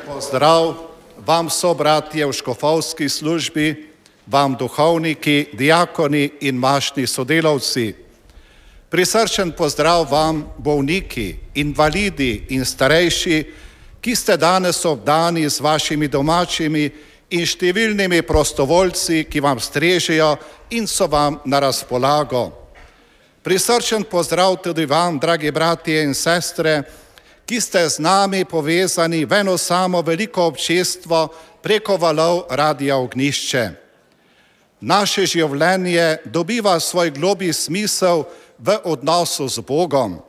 Pozdrav vam, sobratje v škofovski službi, vam duhovniki, diakoni in mašni sodelavci. Prisrčen pozdrav vam, bolniki, invalidi in starejši, ki ste danes obdani z vašimi domačimi in številnimi prostovoljci, ki vam strežejo in so vam na razpolago. Prisrčen pozdrav tudi vam, dragi bratje in sestre, ki ste z nami povezani v eno samo veliko občestvo preko valov Radia Ognjišče. Naše življenje dobiva svoj globlji smisel v odnosu z Bogom.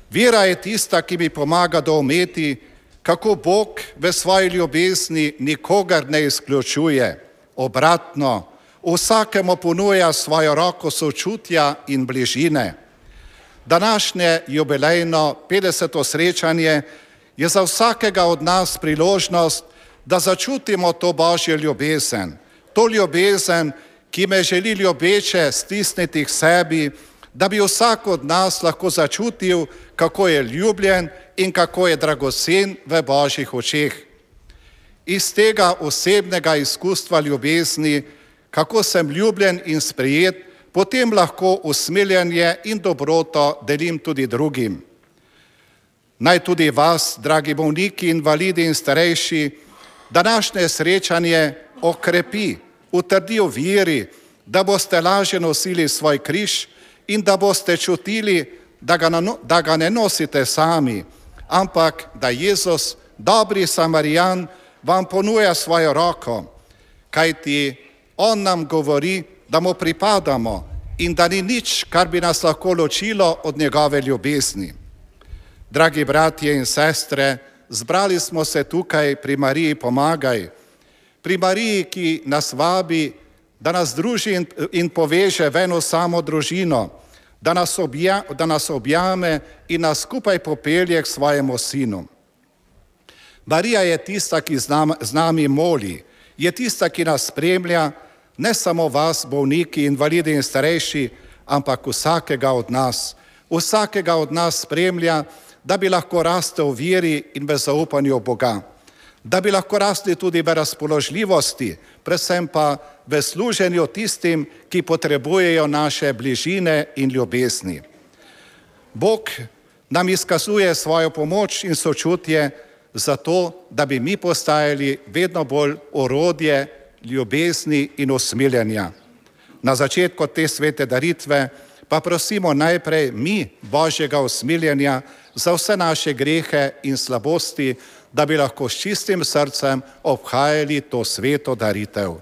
Vera je tista, ki mi pomaga doumeti, kako Bog v svoji ljubezni nikogar ne izključuje. Obratno, vsakemu ponuja svojo roko sočutja in bližine. Današnje jubilejno 50. srečanje je za vsakega od nas priložnost, da začutimo to Božjo ljubezen. To ljubezen, ki me želi ljubeče stisniti k sebi, da bi vsak od nas lahko začutil, kako je ljubljen in kako je dragocen v Božjih očeh. Iz tega osebnega izkustva ljubezni, kako sem ljubljen in sprejet, potem lahko usmiljenje in dobroto delim tudi drugim. Naj tudi vas, dragi bolniki, invalidi in starejši, današnje srečanje okrepi, utrdi v veri, da boste lažje nosili svoj križ in da boste čutili, da ga ne nosite sami, ampak da Jezus, dobri Samarijan, vam ponuja svojo roko, kajti On nam govori, da mu pripadamo in da ni nič, kar bi nas lahko ločilo od njegove ljubezni. Dragi bratje in sestre, zbrali smo se tukaj pri Mariji Pomagaj, pri Mariji, ki nas vabi, da nas druži in poveže v eno samo družino, da nas objame in nas skupaj popelje k svojemu sinu. Marija je tista, ki z nami moli, je tista, ki nas spremlja, ne samo vas, bolniki, invalidi in starejši, ampak vsakega od nas. Vsakega od nas spremlja, da bi lahko rastel v veri in v zaupanju Boga. Da bi lahko rastli tudi v razpoložljivosti, predvsem pa v služenju tistim, ki potrebujejo naše bližine in ljubezni. Bog nam izkazuje svojo pomoč in sočutje zato, da bi mi postajali vedno bolj orodje ljubezni in usmiljenja. Na začetku te svete daritve pa prosimo najprej mi Božjega usmiljenja za vse naše grehe in slabosti, da bi lahko s čistim srcem obhajali to sveto daritev.